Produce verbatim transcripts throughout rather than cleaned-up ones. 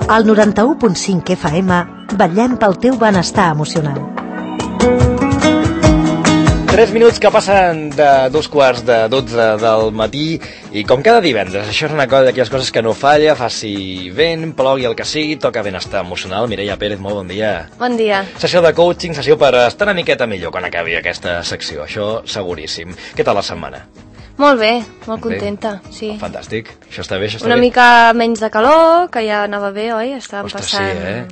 Al noranta-u punt cinc F M vetllem pel teu benestar emocional. Tres minuts que passen de dos quarts de dotze del matí i com cada divendres, això és una cosa d'aquelles coses que no falla, faci vent, plogui el que sigui, toca benestar emocional. Mireia Pérez, molt bon dia. Bon dia. Sessió de coaching, sessió per estar una miqueta millor quan acabi aquesta secció, això seguríssim. Què tal la setmana? Molt bé, molt contenta, bé. Sí. Oh, fantàstic, això està bé, això està una bé. Una mica menys de calor, que ja anava bé, oi? Estàvem Ostres, passant... sí, eh?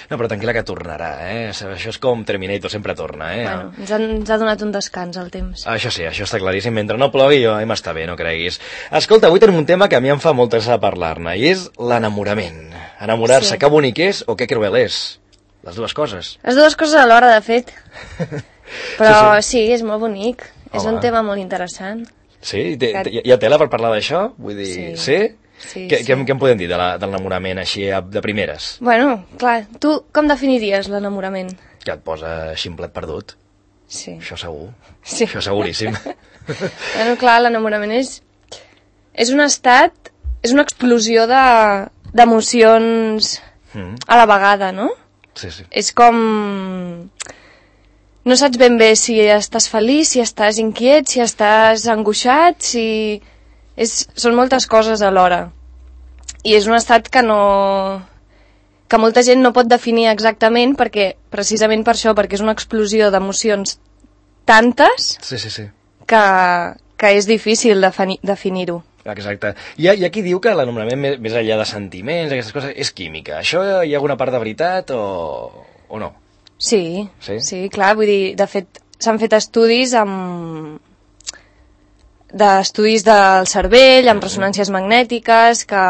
No, però tranquil·la que tornarà, eh? Això és com Terminator, sempre torna, eh? Bueno, ens, ha, ens ha donat un descans al temps. Això sí, això està claríssim. Mentre no plogui, jo em està bé, no creguis. Escolta, avui tenim un tema que a mi em fa molta gràcia parlar-ne, i és l'enamorament. Enamorar-se, sí. Que bonic és o que cruel és? Les dues coses. Les dues coses alhora, de fet. Però sí, sí. sí, és molt bonic. Home. És un tema molt interessant. Sí? Té, té, hi ha tela per parlar d'això? Vull dir, sí? sí? Sí, què, sí. Què, què en podem dir de l'enamorament així de primeres? Bueno, clar, tu com definiries l'enamorament? Que et posa ximplet perdut. Sí. Això segur. Sí. Això seguríssim. Bueno, clar, l'enamorament és, és un estat, és una explosió d'emocions de, mm. a la vegada, no? Sí, sí. És com... No saps ben bé si estàs feliç, si estàs inquiet, si estàs angoixat, si... És, són moltes coses alhora. I és un estat que no... que molta gent no pot definir exactament perquè, precisament per això, perquè és una explosió d'emocions tantes sí, sí, sí. que, que és difícil defini, definir-ho. Exacte. Hi ha, hi ha qui diu que l'enamorament més, més enllà de sentiments, aquestes coses, és química. Això hi ha alguna part de veritat o, o no? Sí, sí, sí, clar, vull dir, de fet, s'han fet estudis amb... d'estudis del cervell, amb ressonàncies magnètiques, que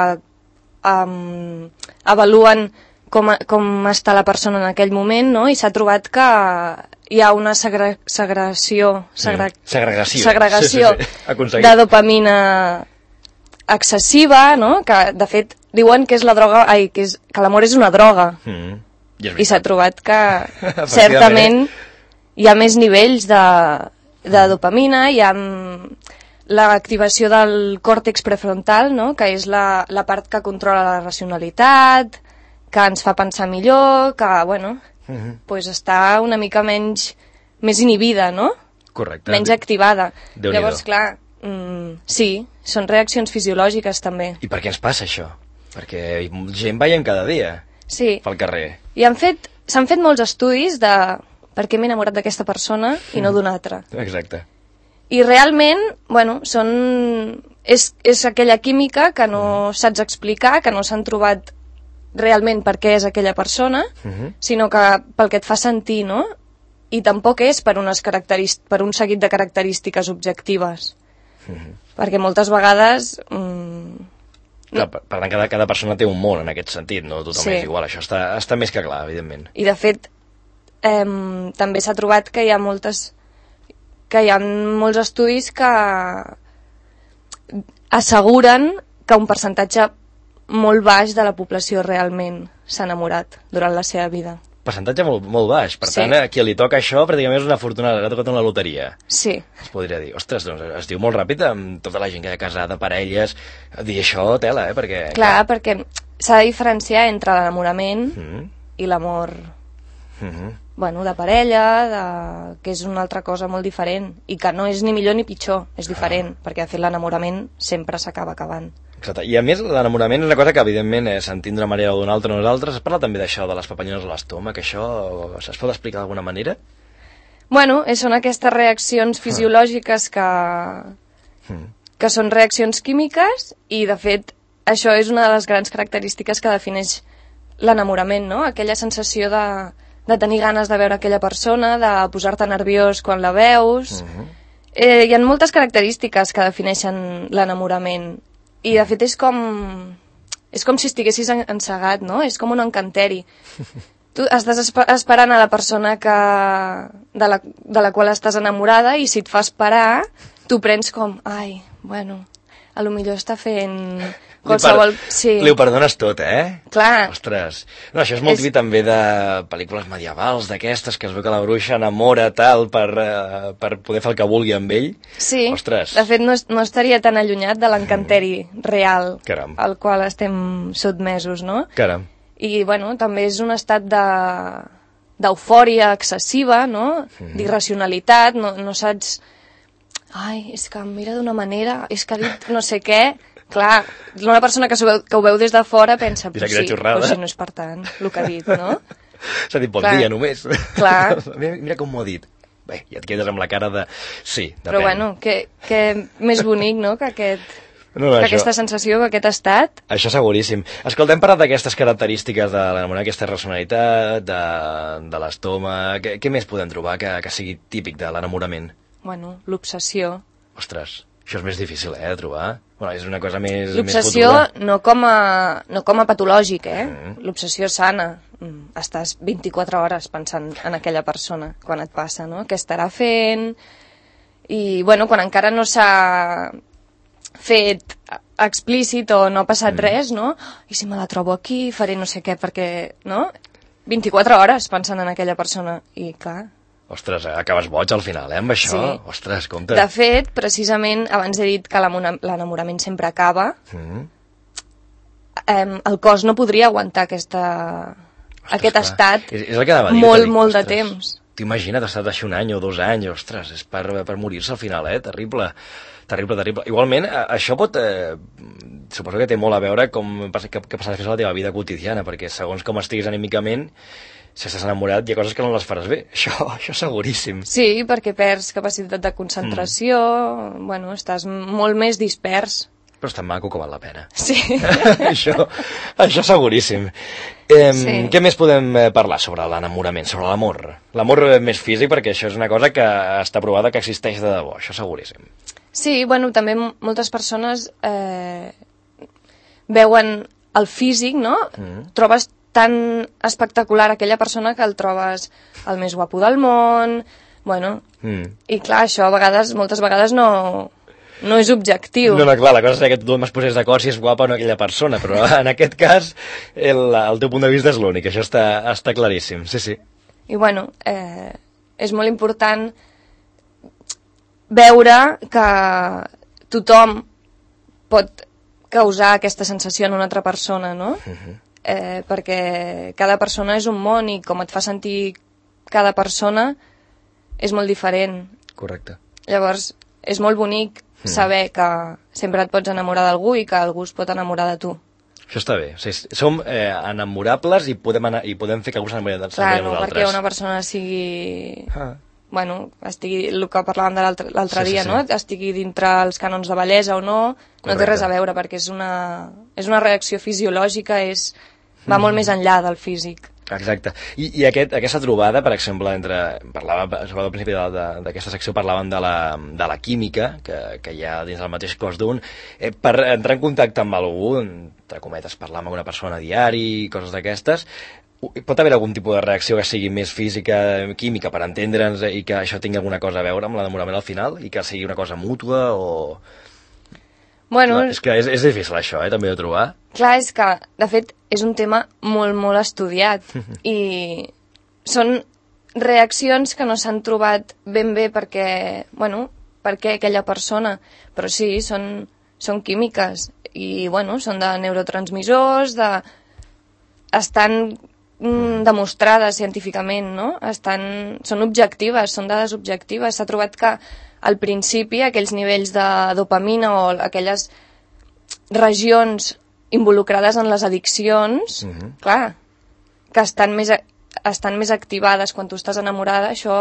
um, avaluen com, com està la persona en aquell moment, no? I s'ha trobat que hi ha una segre, segregació, segre, mm. segregació, segregació sí, sí, sí. de dopamina excessiva, no? Que, de fet, diuen que és la droga, ai, que, és, que l'amor és una droga. Mm. I, I s'ha trobat que, certament, hi ha més nivells de, de dopamina, hi ha... l'activació del còrtex prefrontal, no? Que és la, la part que controla la racionalitat, que ens fa pensar millor, que, bueno, uh-huh. pues està una mica menys, més inhibida, no? Correcte. Menys activada. Déu-n'hi-do. Llavors, clar, mm, sí, són reaccions fisiològiques també. I per què ens passa això? Perquè gent veiem cada dia sí. pel carrer. I han fet, s'han fet molts estudis de per què m'he enamorat d'aquesta persona i no d'una altra. Exacte. I realment, bueno, són... És, és aquella química que no saps explicar, que no s'han trobat realment per què és aquella persona, uh-huh. sinó que pel que et fa sentir, no? I tampoc és per, unes caracterist... per un seguit de característiques objectives. Uh-huh. Perquè moltes vegades... Mm... Clar, per tant, cada, cada persona té un món en aquest sentit, no? Tothom sí. és igual, això està, està més que clar, evidentment. I de fet, eh, també s'ha trobat que hi ha moltes... que hi ha molts estudis que asseguren que un percentatge molt baix de la població realment s'ha enamorat durant la seva vida. Percentatge molt, molt baix, per sí. tant, a qui li toca això pràcticament és una fortuna, ha tocat una loteria. Sí. Es podria dir, ostres, doncs es diu molt ràpid amb tota la gent que ha casada, parelles, dir això, tela, eh, perquè... Clar, clar. perquè s'ha de diferenciar entre l'enamorament mm. i l'amor... Mm-hmm. bueno, de parella, de... que és una altra cosa molt diferent, i que no és ni millor ni pitjor, és diferent, ah. perquè de fet l'enamorament sempre s'acaba acabant. Exacte, i a més l'enamorament és una cosa que evidentment eh, s'entén d'una manera o d'una altra nosaltres. Es parla també d'això, de les papallones a l'estómac, això es pot explicar d'alguna manera? Bueno, són aquestes reaccions fisiològiques que, mm. que són reaccions químiques, i de fet això és una de les grans característiques que defineix l'enamorament, no? Aquella sensació de de tenir ganes de veure aquella persona, de posar-te nerviós quan la veus... Uh-huh. eh, hi ha moltes característiques que defineixen l'enamorament, i de fet és com... és com si estiguessis encegat, no? És com un encanteri. Tu estàs esperant a la persona que... de, la, de la qual estàs enamorada, i si et fa esperar, tu prens com... ai, bueno, a lo millor està fent... qualsevol... Li, per... sí. li ho perdones tot, eh? Clar. Ostres. No, això és molt és... típic també de pel·lícules medievals, d'aquestes, que es veu que la bruixa enamora tal per, uh, per poder fer el que vulgui amb ell. Sí. Ostres. De fet, no, no estaria tan allunyat de l'encanteri mm. real Caram. al qual estem sotmesos, no? Caram. I, bueno, també és un estat de d'eufòria excessiva, no? Mm. D'irracionalitat, no, no saps... Ai, és que em mira d'una manera, és que ha dit no sé què... Clar, una persona que, veu, que ho veu des de fora pensa, però sí, però si no és per tant, el que ha dit, no? S'ha dit bon Clar. dia només. Clar. mira, mira com m'ho ha dit. Bé, ja et quedes amb la cara de... Sí, depèn. Però bueno, que, que més bonic, no?, que aquest... No, no, que això, aquesta sensació, que aquest estat... Això seguríssim. Escolta, hem parlat d'aquestes característiques de l'enamorar, aquesta racionalitat, de, de l'estómac... Què, què més podem trobar que, que sigui típic de l'enamorament? Bueno, l'obsessió. Ostres, això és més difícil, eh, de trobar. Bueno, és una cosa més... L'obsessió no, com a, no com a patològic, eh? Mm. L'obsessió sana. Estàs vint-i-quatre hores pensant en aquella persona quan et passa, no? Què estarà fent? I, bueno, quan encara no s'ha fet explícit o no ha passat mm. res, no? I si me la trobo aquí, faré no sé què, perquè, no? vint-i-quatre hores pensant en aquella persona. I, clar... Ostres, acabes boig al final, eh, amb això? Sí. Ostres, compte. De fet, precisament, abans he dit que l'enamorament sempre acaba, mm. eh, el cos no podria aguantar aquesta, ostres, aquest clar. estat és, és el que dir, molt, dir, molt ostres, de temps. T'imagina't estar d'així un any o dos anys, ostres, és per, per morir-se al final, eh? Terrible, terrible, terrible. Igualment, això pot... Eh, suposo que té molt a veure com que, que passa després a la teva vida quotidiana, perquè segons com estiguis anímicament, si estàs enamorat, hi ha coses que no les faràs bé. Això, això seguríssim. Sí, perquè perds capacitat de concentració, mm. bueno, estàs molt més dispers. Però és tan maco que val la pena. Sí. això, això seguríssim. Eh, sí. Què més podem parlar sobre l'enamorament, sobre l'amor? L'amor més físic, perquè això és una cosa que està provada que existeix de debò, això seguríssim. Sí, bueno, també moltes persones eh, veuen el físic, no? Mm. Trobes tan espectacular aquella persona que el trobes el més guapo del món, bueno, mm. i clar, això a vegades, moltes vegades no, no és objectiu. No, no, clar, la cosa és que tothom es posés d'acord si és guapa o no aquella persona, però en aquest cas el, el teu punt de vista és l'únic, això està, està claríssim, sí, sí. I bueno, eh, és molt important veure que tothom pot causar aquesta sensació en una altra persona, no? Uh-huh. Eh, perquè cada persona és un món i com et fa sentir cada persona és molt diferent. Correcte. Llavors, és molt bonic mm. saber que sempre et pots enamorar d'algú i que algú es pot enamorar de tu. Això està bé. O sigui, som eh, enamorables i podem, i podem fer que algú s'enamori de nosaltres. Clar, no perquè una persona sigui... Ah. Bueno, estigui, el que parlàvem de l'altre sí, dia, sí, sí. no? Estigui dintre els cànons de bellesa o no, Correcte. No té res a veure, perquè és una, és una reacció fisiològica, és, va mm. molt més enllà del físic. Exacte. I, i aquest, aquesta trobada, per exemple, entre, parlava, al principi d'aquesta secció parlaven de la, de la química que, que hi ha dins del mateix cos d'un, eh, per entrar en contacte amb algú, entre cometes, parlar amb una persona a diari, coses d'aquestes, pot haver algun tipus de reacció que sigui més física, química, per entendre'ns i que això tingui alguna cosa a veure amb l'enamorament al final i que sigui una cosa mútua o... Bueno, clar, és que és, és difícil això, eh, també de trobar. Clar, és que, de fet, és un tema molt, molt estudiat i són reaccions que no s'han trobat ben bé perquè, bueno, perquè aquella persona, però sí, són, són químiques i, bueno, són de neurotransmissors, de... estan mm, demostrades científicament, no? Estan... són objectives, són dades objectives. S'ha trobat que al principi aquells nivells de dopamina o aquelles regions involucrades en les addiccions, uh-huh. clar, que estan més, estan més activades quan tu estàs enamorada, això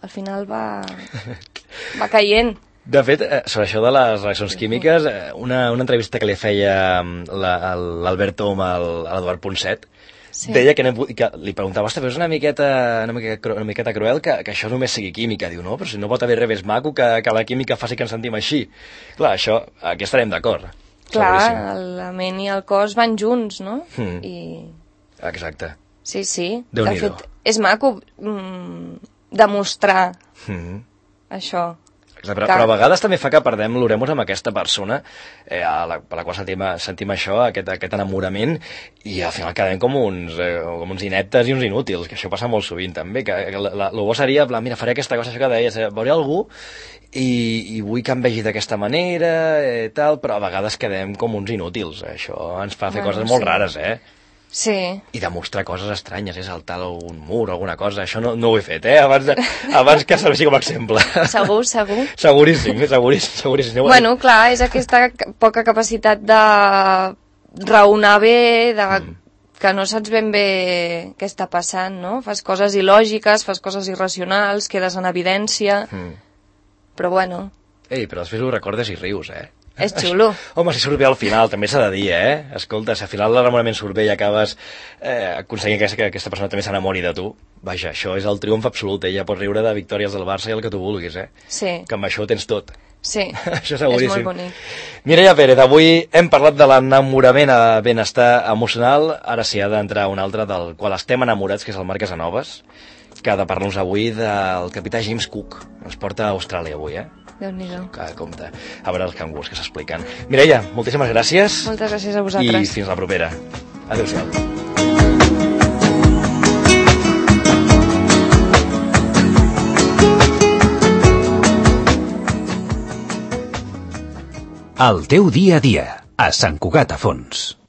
al final va, va caient. De fet, sobre això de les reaccions químiques, una, una entrevista que li feia l'Albert Tom a l'Eduard Ponset, sí. deia que, que li preguntava, ostres, però és una miqueta, una miqueta, una miqueta cruel que, que això només sigui química. Diu, no, però si no pot haver res més maco que, que la química faci que ens sentim així. Clar, això, aquí estarem d'acord. Clar, la ment i el cos van junts, no? Mm. I... Exacte. Sí, sí. Déu-n'hi-do. De fet, és maco mm, demostrar mm. això. Però, però a vegades també fa que perdem l'oremus amb aquesta persona eh, a la, per la qual sentim, sentim això, aquest, aquest enamorament, i al final quedem com uns, eh, com uns ineptes i uns inútils, que això passa molt sovint també, que el bo seria, plan, mira, faré aquesta cosa, això que deies, eh, veuré algú i, i vull que em vegi d'aquesta manera, eh, tal, però a vegades quedem com uns inútils, això ens fa fer bueno, coses molt sí. rares, eh? Sí. I demostrar coses estranyes, és saltar algun mur o alguna cosa. Això no, no ho he fet, eh? Abans, de, abans que serveixi com a exemple. Segur, segur. Seguríssim, seguríssim, seguríssim. Bueno, clar, és aquesta poca capacitat de raonar bé, de... Mm. que no saps ben bé què està passant, no? Fas coses il·lògiques, fas coses irracionals, quedes en evidència, mm. però bueno... Ei, però després ho recordes i rius, eh? És xulo. Home, si surt bé al final, també s'ha de dir, eh? Escolta, si al final l'enamorament surt bé i acabes eh, aconseguint que, que aquesta persona també s'enamori de tu, vaja, això és el triomf absolut, ella pot riure de victòries del Barça i el que tu vulguis, eh? Sí. Que amb això ho tens tot. Sí, això seguríssim. És molt bonic. Mireia Pérez, avui hem parlat de l'enamorament a benestar emocional, ara s'hi ha d'entrar un altre del qual estem enamorats, que és el Marc Casanovas, que ha de parlar-nos avui del capità James Cook. Ens porta a Austràlia avui, eh? Déu-n'hi-do. Que compte, a veure els cangurs que s'expliquen. Mireia, moltíssimes gràcies. Moltes gràcies a vosaltres. I fins la propera. Adéu-siau. El teu dia a dia, a Sant Cugat a Fons.